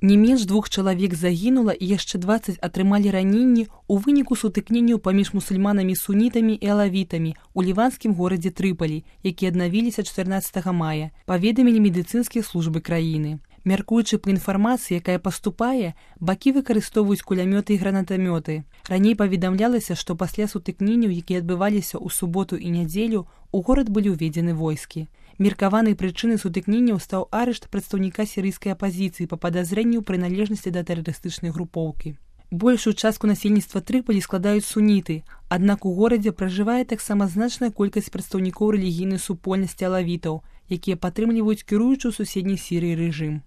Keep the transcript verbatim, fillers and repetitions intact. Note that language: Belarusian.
Не менш двух чалавек загінула і яшчэ дваццаць атрымалі раненні ў выніку сутыкненняў паміж мусульманамі-сунітамі і алавітамі ў ліванскім горадзе Трыпалі, які аднавіліся чатырнаццатага мая, паведамілі медыцынскія службы краіны. Мяркуючы па інфармацыі, якая паступае, бакі выкарыстоўваюць кулямёты і гранатамёты. Раней паведамлялася, што пасля сутыкненняў, якія адбываліся ў суботу і нядзелю, у горад былі ўведзены войскі. Меркаванай прычынай сутыкненняў стаў арышт прадстаўніка сірыйскай апазіцыі па падазрэнню ў прыналежнасці да тэрарыстычнай групоўкі. Большую частку насельніцтва Трыпалі складаюць суніты, аднак у горадзе пражывае таксама значная колькасць прадстаўнікоў рэлігійнай супольнасці алавітаў, якія падтрымліваюць кіруючы ў суседняй Сірыі рэжым.